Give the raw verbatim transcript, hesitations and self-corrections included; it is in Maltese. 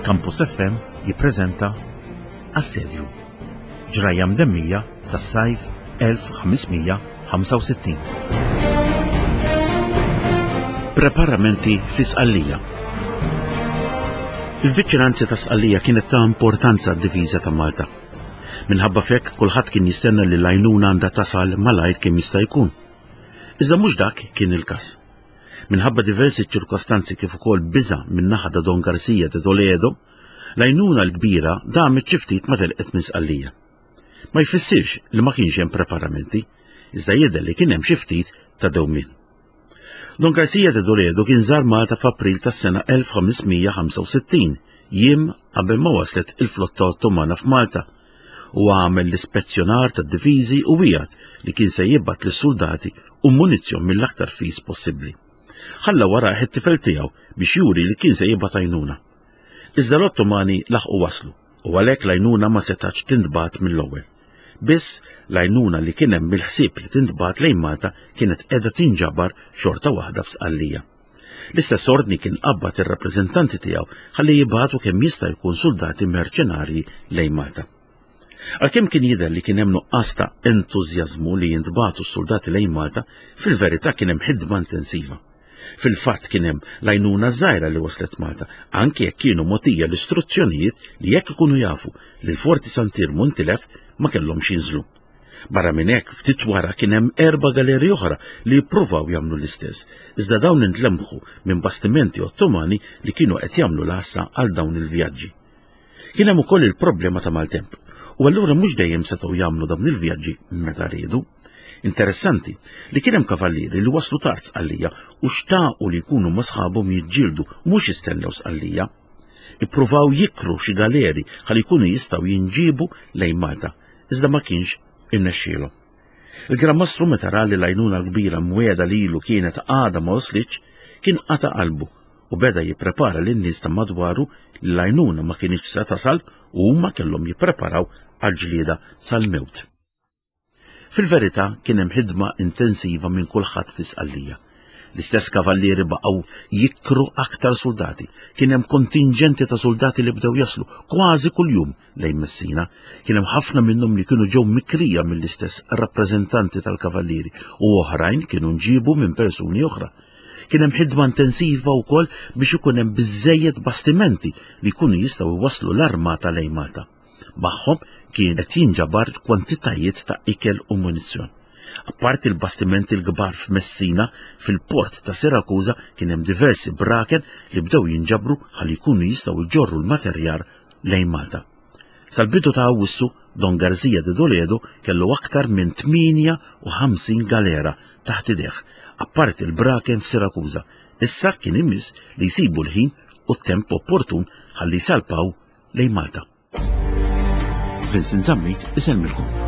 Campus F M jippreżenta Assedju, ġrajja mdemmija tas-sajf elf ħames mija ħamsa u sittin. Preparamenti fi Sqallija. Il-viċinanzi ta' Sqallija kienet ta' importanza għad-difiża ta' Malta. Minħabba f'hekk kulħadd kien jistenna li l-għajnuna għandha tasal malajr kemm jista' jkun. Iżda mhux dak kien il-każ. Minħabba diversi ċirkostanzi kif ukoll biża' min-naħa ta' Don Garcia de Toledo, l-għajnuna l-kbira damet xi ftit ma telqet minn Sqallija. Ma jfissirx li ma kienx hemm preparamenti, iżda jidher li kien hemm xi ftit ta' dewmien. Don Garcia de Toledo kien żar Malta f'April tas-sena elf ħames mija ħamsa u sittin, jiem qabel ma waslet il-flotta Ottomana f'Malta, u għamel l-ispezzjonar tad-diviżi u wiegħed li kien se jibgħat lis-soldati u munizzjon mill-aktar fis possibbli. Ħalla warajh it-tifel tiegħu biex juri li kien se jibgħat għajnuna. Iżda l-Ottomani laħqu waslu u għalhekk l-għajnuna ma setax tintbagħat mill-ewwel. Biss l-għajnuna li kien hemm mill-ħsieb li tintbagħat lejn Malta kienet qiegħda tinġabar xorta waħda f'Sqallija. L-istess ordni kien qabbad ir-rappreżentanti tiegħu ħalli jibgħatu kemm jista' jkun soldati merċenarji lejn Malta. Għalkemm kien jidher li kien hemm nuqqas ta' entużjażmu li jintbagħtu s-soldati lejn Malta, fil-verità kien hemm ħidma intensiva. Fil-fatt kien hemm l-għajnuna żgħira li waslet Malta, anke jekk kienu mogħtija l-istruzzjonijiet li jekk ikunu jafu li l-Forti Sant'Iermu ntilef ma kellhomx jinżlu. Barra minn hekk ftit wara kien hemm erba' galeri oħra li jippruvaw jagħmlu l-istess, iżda dawn intlemħu minn bastimenti Ottomani li kienu qed jagħmlu l-għassa għal dawn il-vjaġġi. Kien hemm ukoll il-problema ta' maltemp, u allura mhux dejjem setgħu jagħmlu dawn il-vjaġġi meta riedu. Interessanti li kien hemm kavallieri li waslu tard Sqallija u xtaqu li jkunu ma' sħabhom jiġġieldu mhux jistennew Sqallija. Ippruvaw jikru xi galeri ħalli jkunu jistgħu jinġiebu lejn Malta, iżda ma kienx irnexxielhom. Il-Gran Mastru meta ra li l-għajnuna l-kbira mwiegħda lilu kienet għadha ma waslitx, kien qata' qalbu u beda jipprepara lin-nies ta' madwaru li l-għajnuna ma kienx se tasal u huma kellhom jippreparaw għall-ġlieda sal-mewt. Fil-verità kien hemm ħidma intensiva minn kulħadd fi Sqallija. L-istess kavallieri baqgħu jikru aktar soldati. Kien hemm kontingenti ta' soldati li bdew jaslu kważi kuljum lejn Messina. Kien hemm ħafna minnhom li kienu ġew mikrija mill-istess rappreżentanti tal-kavallieri u oħrajn kienu nġibu minn persuni oħra. Kien hemm ħidma intensiva wkoll biex ikun hemm biżżejjed bastimenti li jkunu jistgħu jwasslu l-armata lejn Malta. Magħhom kien qed jinġabar kwantitajiet ta' ikel u munizzjon. Apparti l-bastimenti l-kbar f'Messina, fil-port ta' Sirakuża kien hemm diversi braken li bdew jinġabru ħalli jkunu jistgħu jġorru l-materjal lejn Malta. Sal-bidu ta' Awwissu, Don Garcia de Toledo kellu aktar minn tmienja u ħamsin galera taħt idejh, apparti l-braken f'Sirakuża. Issa kien imiss li jsibu l-ħin u t-temp opportun ħalli jsalpaw lejn Malta. Vincent Zammit isellmilkom.